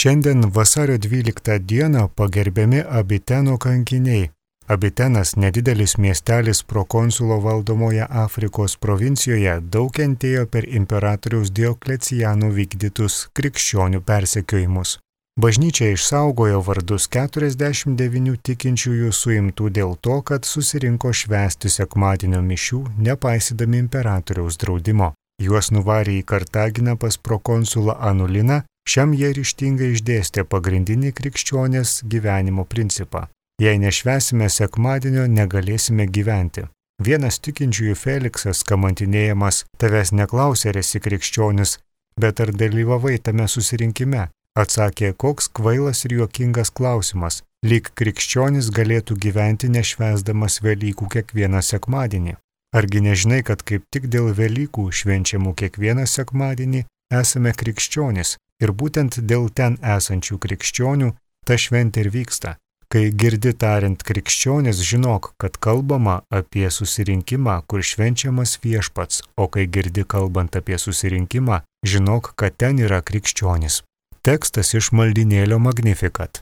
Šiandien vasario 12 dieną pagerbiami Abiteno kankiniai. Abitenas, nedidelis miestelis prokonsulo valdomoje Afrikos provincijoje, daug kentėjo per imperatoriaus Diokleciano vykdytus krikščionių persekiojimus. Bažnyčia išsaugojo vardus 49 tikinčiųjų suimtų dėl to, kad susirinko švęsti sekmadienio mišių, nepaisydami imperatoriaus draudimo. Juos nuvarė į Kartaginą pas prokonsulą Anuliną, šiam jie ryžtingai išdėstė pagrindinį krikščionės gyvenimo principą. Jei nešvęsime sekmadienio, negalėsime gyventi. Vienas tikinčiųjų Feliksas, kamantinėjamas, tavęs neklausė, ar esi krikščionis, bet ar dalyvavai tame susirinkime? Atsakė, koks kvailas ir juokingas klausimas, lyg krikščionis galėtų gyventi nešvęsdamas Velykų kiekvieną sekmadienį. Argi nežinai, kad kaip tik dėl Velykų švenčiamų kiekvieną sekmadienį esame krikščionis ir būtent dėl ten esančių krikščionių ta šventė ir vyksta. Kai girdi tariant krikščionis, žinok, kad kalbama apie susirinkimą, kur švenčiamas Viešpats, o kai girdi kalbant apie susirinkimą, žinok, kad ten yra krikščionis. Tekstas iš maldynėlio Magnificat.